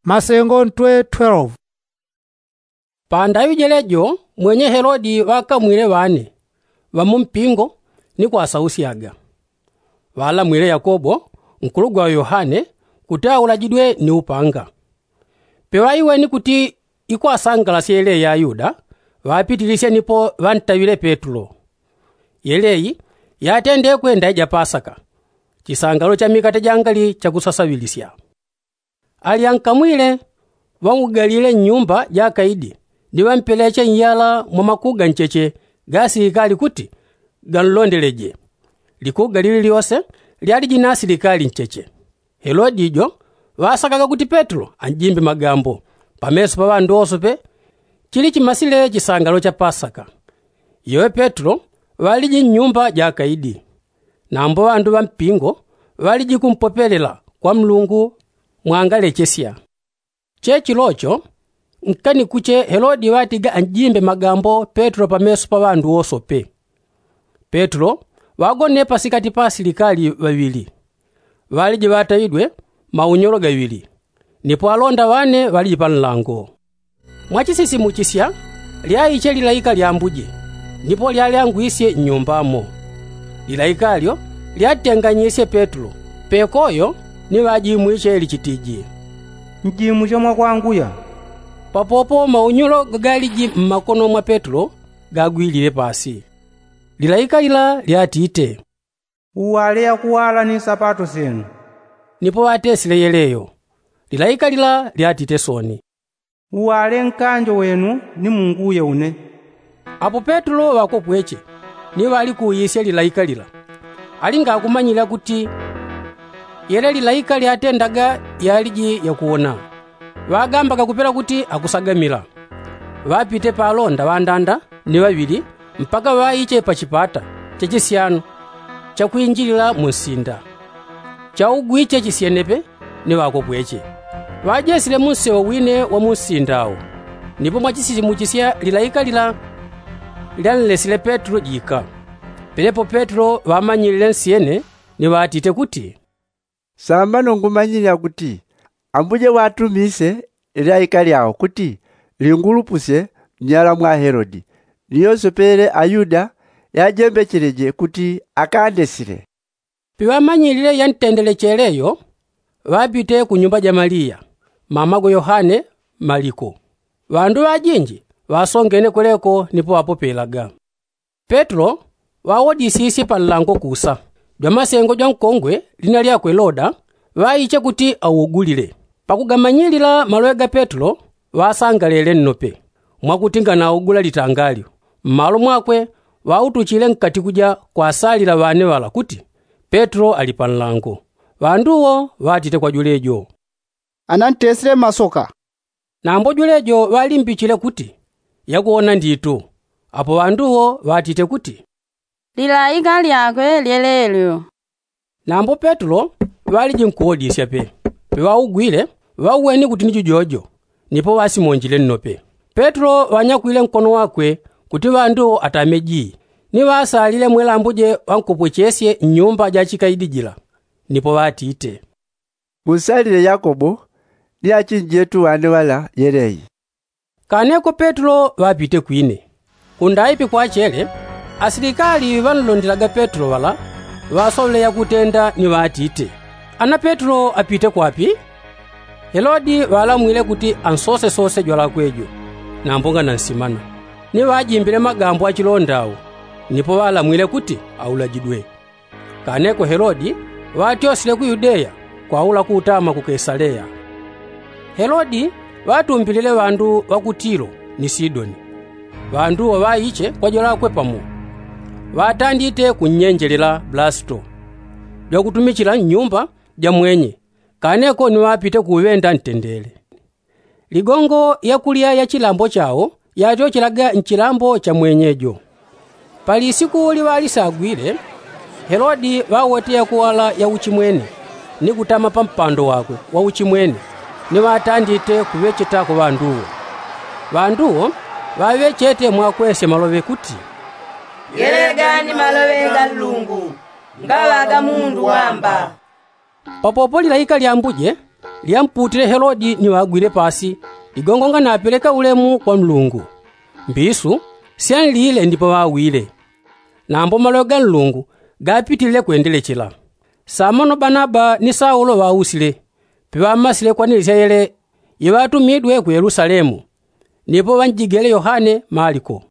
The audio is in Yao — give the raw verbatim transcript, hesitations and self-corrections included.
Masengo ntwe twelve. Pandaŵi jelejo mwenye helodi ŵakamwile ŵane ŵa mumpingo ni kwasausyaga. Ŵalamwile yakobo nkulugwa wa yohane kuti aulajidwe ni upanga. Peŵaiweni kuti ikwasangalasya yeleyi ayuda ŵapitilisye nipo ŵantaŵile petulo. Yeleyi yatendekwe ndaija pasaka, chisangalo cha mikate jangali chakusasaŵilisya. Alyankamwile ŵaugalile nnyumba ja akaidi ni ŵampeleche nyala mwa makuga ncheche ga asilikali kuti ganlondeleje. Likuga lililyose lyaliji na asilikali ncheche. Helodi jo ŵasakaga kuti petulo anjimbe magambo pameso pa ŵandu wose pe chili chimasile chisangalo cha pasaka. Iwe petulo ŵaliji nnyumba ja akaidi. Nambo ŵandu ŵa mpingo ŵaliji kumpopelela kwa mlungu mwangalechesya. Chechilocho nkanikuche helodi ŵatiga anjimbe magambo petulo pameso pa ŵandu wosope. Petulo ŵagone pasikati pa asilikali ŵaŵili ŵaliji ŵataŵidwe maunyolo gaŵili. Nipo alonda ŵane ŵaliji pa nlango. Mwachisisimuchisya lyaiche lilaika lya ambuje nipo lyalyangwisye nnyumbamo. Lilaika lyo lyatenganyisye petulo pekoyo ni ŵajimwiche lichitiji, njimwiche mwakwanguya. Papopo maunyolo gagaliji mmakono mwa petulo gagwilile pasi. Lilaika lila lyatite, uwale yakuwala ni nsapato syenu. Nipo ŵatesile yeleyo. Lilaika lila lyatite soni, uwale nkanjo wenu ni munguye une. Apo petulo ŵakopweche ni ŵalikuuyisye lilaika lila, alinga akumanyila kuti yele lilaika lyatendaga yaliji yakuwona. Ŵagambaga kupela kuti akusagamila. Ŵapite pa alonda ŵandanda ni ŵaŵili mpaka ŵaiche pa chipata cha chisyano chakwinjilila mu nsinda. Chaugwiche chisyenepe ni ŵakopweche ŵajesile munsewo wine wa munsinda wo. Nipo mwachisisimuchisya lilaika lila lyanlesile petulo jika. Penepo petulo ŵamanyilile nsyene ni ŵatite kuti, sambano ngumanyile yakuti ambuje watumise lilaika lyao kuti lingulupusye nyala mwa helodi ni yose pele ayuda yajembecheleje kuti akandesile. Piŵamanyilile yantendelechele yo ŵapite ku nyumba ja maliya mamagwe yohane maliko. Ŵandu ŵajinji ŵasongene kweleko nipo ŵapopelaga. Petulo ŵawodisisye pa nlango kusa. Jwamasengo jwa nkongwe lina lyakwe loda ŵaiche kuti augulile. Pakugamanyilila maloŵe ga petulo ŵasangalele nnope mwakuti nganaugula litangalyo. Mmalo mwakwe ŵautuchile nkati kuja kwasalila ŵane ŵala kuti petulo ali pa nlango. Ŵandu wo ŵatite kwa jwelejo, anantesile masoka. Nambo jwelejo ŵalimbichile kuti, yakuwona nditu. Apo ŵandu wo ŵatite kuti, lilaika lyakwe lyelelyo. Nambo petulo ŵaliji nkuwodisya pe. Peŵaugwile ŵauweni kuti ni jujojo. Nipo ŵasimonjile nnope. Petulo ŵanyakwile nkono wakwe kuti ŵandu atame jii ni ŵasalile mwelambuje ŵankopwechesye nnyumba ja chikaidi jila. Nipo ŵatite, munsalile yakobo ni achinjetu ŵane ŵala yeleyi. Kaneko petulo ŵapite kwine. Kundaipi kwachele asilikali ŵanlondelaga petulo ŵala ŵasoŵele yakutenda ni ŵatite, ana petulo apite kwapi? Helodi ŵalamwile kuti ansosesose jwalakwe jo nambo nganansimana. Ni ŵajimbile magambo achilonda awo nipo ŵalamwile kuti aulajidwe. Kaneko helodi ŵatyosile ku yudeya kwaula kutama ku kesaleya. Helodi ŵatumbilile ŵandu ŵa ku tilo ni sidoni. Ŵandu wo ŵaiche kwa jwalakwe pamo ŵatandite kunnyenjelela blasito jwakutumichila nnyumba ja mwenye. Kaneko ni ŵapite kuŵenda ntendele. Ligongo yakulya ya chilambo chao yatyochelaga nchilambo cha mwenye jo. Pali siku liŵalisagwile helodi ŵawete yakuwala ya uchimwene ni kutama pa mpando wakwe wa uchimwene ni ŵatandite kuŵechetako ŵandu wo. Ŵandu wo ŵaŵechete mwakwesya maloŵe kuti, yelega ni maloŵe ga nlungu ngaŵaga mundu wamba. Papopo lilaika lyambuje Lyamputile helodi ni ŵagwile pasi, ligongonga napeleka ulemu kwa nlungu. Mbisu syanlile ndipo ŵawile. Nambo maloŵe ga nlungu gapitilile kwendelechela. Samano banaba ni saulo ŵausile, piŵamasile kwa ni lisyayele iŵatumidwe ku yelusalemu, nipo ŵanjigele yohane maliko.